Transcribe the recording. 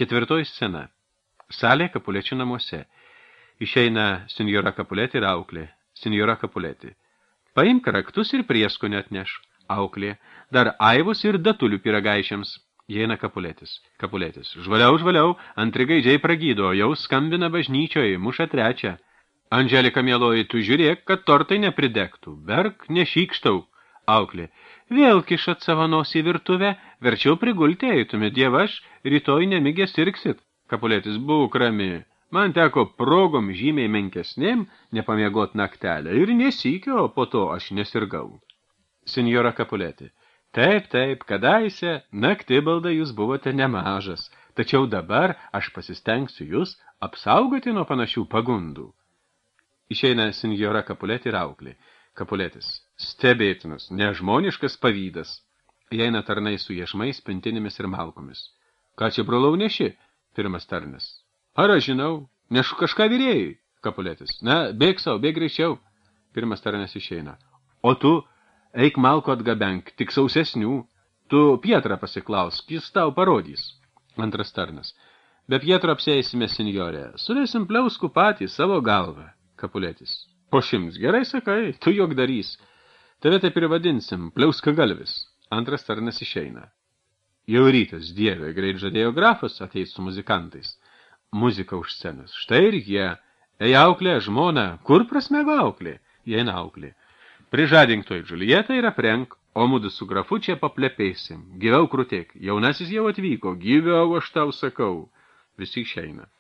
Ketvirtoji scena. Salė Kapulečių namuose. Išeina senjora Kapulėti ir auklė. Senjora Kapulėti. Paimk raktus ir prieskonį atneš. Auklė. Dar aivus ir datulių pyragaišiams. Įeina Kapulėtis. Kapulėtis. Žvaliau, antri gaidžiai pragydo, jau skambina bažnyčioje, muša trečią. Andželika mieloji, tu žiūrėk, kad tortai nepridegtų. Berk, nešykštau. Auklė. Vėl kišat savo nosį į virtuvę, verčiau prigulti eitumėt, dievaš, rytoj nemigės sirksit. Kapulėtis, būk rami. Man teko progom žymiai menkesnėm nepamiegot naktelę ir nesykio, po to aš nesirgau. Senjora Kapulėti. Taip, kadaise naktibalda jūs buvote nemažas, tačiau dabar aš pasistengsiu jūs apsaugoti nuo panašių pagundų. Išeina senjora Kapulėti ir auklė. Kapulėtis. Stebėtinas, nežmoniškas pavydas. Įeina tarnai su iešmais, pintinėmis ir malkomis. Ką čia, brolau, neši? Pirmas tarnas. Ar aš žinau? Nešu kažką vyrėjui. Kapulėtis. Na, bėg savo, bėg greičiau. Pirmas tarnas išeina. O tu, eik malko atgabenk, tik sausesnių. Tu Pietrą pasiklausk, jis tau parodys. Antras tarnas. Be Pietro apsėsime, senjorė. Surėsim pliauskų patį savo galvą. Kapulėtis. Po 100, gerai sakai, tu jog darys. Tave taip ir vadinsim, pliauska galvis. Antras tarnas išeina. Jau rytas, dieve, greit žadėjo grafas ateis su muzikantais. Muzika už scenos. Štai ir jie. Ei, auklė, žmona, kur prasmego auklė? Įeina auklė. Prižadink toj Džulietą ir aprenk, o mudu su grafu čia paplepėsim. Gyviau krutėk, jaunasis jau atvyko, gyviau aš tau sakau. Visi išeina.